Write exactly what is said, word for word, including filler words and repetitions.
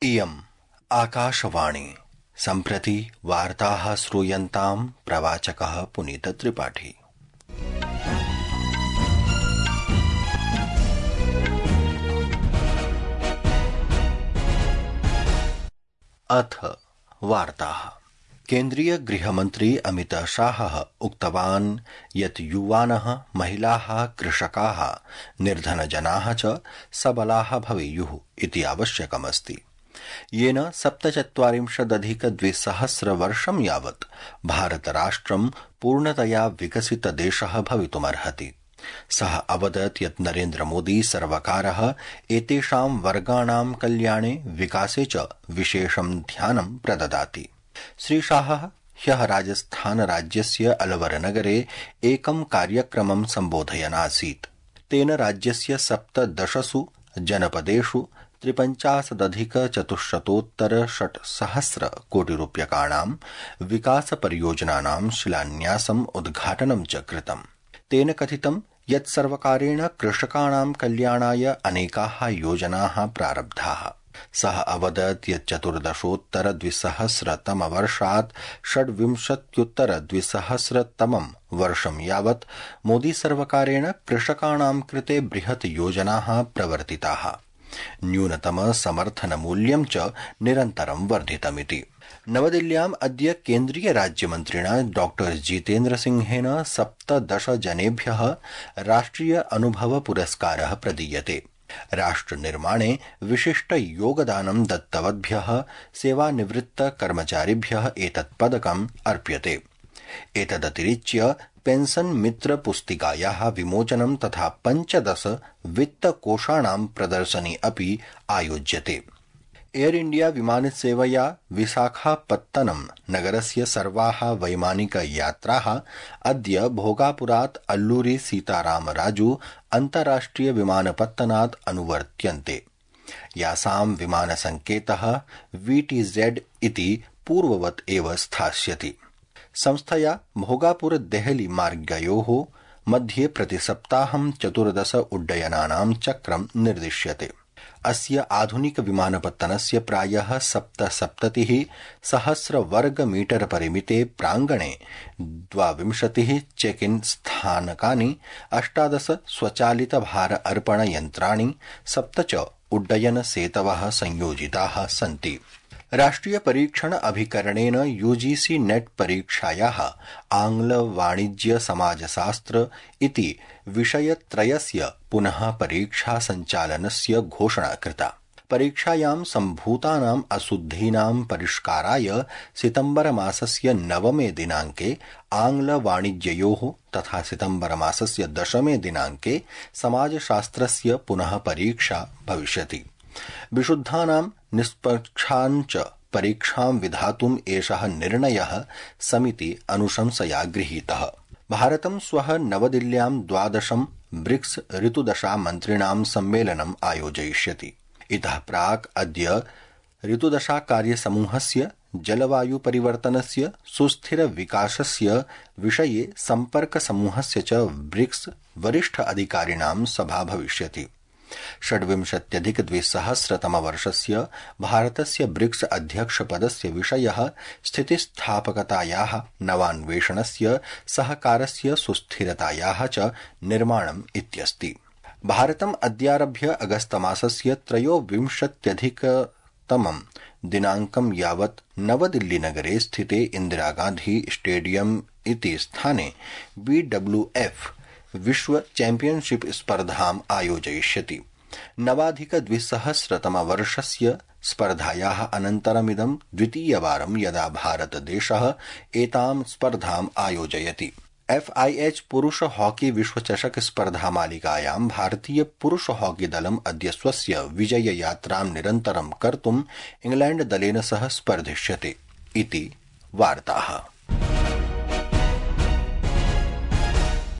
इयम् आकाशवाणी सम्प्रति वार्ताः श्रूयन्ताम् प्रवाचकः पुनीत त्रिपाठी। अथ वार्ताः। केन्द्रीय गृहमन्त्री अमित शाहः उक्तवान् यत् युवानः, महिलाः, कृषकाः, निर्धनजनाः च सबलाः भवेयुः इति आवश्यकमस्ति, येन सप्तचत्वारिंशदधिकद्विसहस्र वर्षं यावत् भारतराष्ट्रं पूर्णतया विकसितदेशः भवितुमर्हति। सः अवदत् यत् नरेन्द्रमोदी सर्वकारः एतेषां वर्गाणां कल्याणे विकासे च विशेषं ध्यानं प्रददाति। श्रीशाहः ह्यः राजस्थान राज्यस्य अलवर-नगरे एकं कार्यक्रमं सम्बोधयन् आसीत्। तेन राज्यस्य सप्तदशसु जनपदेषु त्रिपञ्चाशदधिकचतुश्शतोत्तर षट्सहस्र कोटिरूप्यकाणां विकासपरियोजनानां शिलान्यासम् उद्घाटनं च कृतम्। तेन कथितं यत् सर्वकारेण कृषकाणां कल्याणाय अनेकाः योजनाः प्रारब्धाः। सः अवदत् यत् चतुर्दशोत्तर द्विसहस्रतमवर्षात् षड्विंशत्युत्तर द्विसहस्रतमं वर्षं यावत् मोदी सर्वकारेण कृषकाणां कृते बृहत् योजनाः प्रवर्तिताः। न्यूनतम समर्थन मूल्यं च निरन्तरं वर्धितमिति। नवदिल्ल्याम् अद्य केन्द्रीय राज्यमन्त्रिणा डॉक्टर जितेन्द्र सिंहेन सप्तदश जनेभ्यः राष्ट्रिय अनुभव पुरस्कारः प्रदीयते। राष्ट्रनिर्माणे विशिष्ट योगदानं दत्तवद्भ्यः सेवानिवृत्त कर्मचारिभ्यः एतत् पदकम् अर्प्यते। एतदतिरिच्य पेंशन मित्र पुस्तिकायाः विमोचनं तथा पञ्चदश वित्तकोषाणां प्रदर्शनी अपि आयोज्यते। एयर इंडिया विमानसेवया विशाखापत्तनम नगरस्य सर्वाः वैमानिक यात्राः अद्य भोगापुरात् अल्लूरी सीतारामराजू अन्ताराष्ट्रिय विमानपत्तनात् अनुवर्त्यन्ते। यासां विमानसंकेतः वीटीजेड इति पूर्ववत् एव स्थास्यति। संस्थया भोगापुर देहली मार्गयोः मध्ये प्रतिसप्ताहं चतुर्दश उड्डयनानां चक्रं निर्दिश्यते। अस्य आधुनिक विमानपत्तनस्य प्रायः सप्तसप्ततिः सहस्र वर्ग मीटर परिमिते प्रांगणे द्वाविंशतिः चेक इन स्थानकानि, अष्टादश स्वचालित भार अर्पण यन्त्राणि, सप्त च उड्डयन सेतवः संयोजिताः सन्ति। राष्ट्रिय परीक्षण अभिकरणेन यूजीसी नेट परीक्षायाः आंग्ल वाणिज्य समाजशास्त्र इति विषयत्रयस्य पुनः परीक्षा सञ्चालनस्य घोषणा कृता। परीक्षायां सम्भूतानाम् अशुद्धीनां परिष्काराय सितम्बर मासस्य नवमे दिनाङ्के आंग्ल वाणिज्ययोः तथा सितम्बर मासस्य दशमे दिनाङ्के समाजशास्त्रस्य पुनः परीक्षा भविष्यति। विशुद्धानां निष्पक्षाञ्च परीक्षां विधातुम् एषः निर्णयः समिति अनुशंसया गृहीतः। भारतं श्वः नवदिल्ल्यां द्वादशं ब्रिक्स ऋतुदशा मन्त्रिणां सम्मेलनम् आयोजयिष्यति। इतः प्राक् अद्य ऋतुदशा कार्यसमूहस्य जलवायु परिवर्तनस्य सुस्थिर विकासस्य विषये सम्पर्कसमूहस्य च ब्रिक्स वरिष्ठ अधिकारिणां सभा भविष्यति। षड्विंशत्यधिक द्विसहस्रतमवर्षस्य भारतस्य ब्रिक्स अध्यक्षपदस्य विषयः स्थितिस्थापकतायाः, नवान्वेषणस्य, सहकारस्य सुस्थिरतायाः च निर्माणम् इत्यस्ति। भारतम् अद्यारभ्य अगस्तमासस्य त्रयोविंशत्यधिकतमं दिनाङ्कं यावत् नवदिल्लीनगरे स्थिते इन्दिरागान्धी स्टेडियम इति स्थाने बीडब्ल्यूएफ विश्व चैम्पियनशिप स्पर्धाम् आयोजयिष्यति। नवाधिकद्विसहस्रतमवर्षस्य स्पर्धायाः अनन्तरमिदं द्वितीयवारं यदा भारतदेशः एतां स्पर्धाम् आयोजयति। एफआईएच पुरुष हॉकी विश्वचषक स्पर्धामालिकायां भारतीय पुरुष हॉकी दलम् अद्य स्वस्य विजययात्रां निरन्तरं कर्तुम् इंग्लैण्ड दलेन सह स्पर्धिष्यते इति वार्ताः।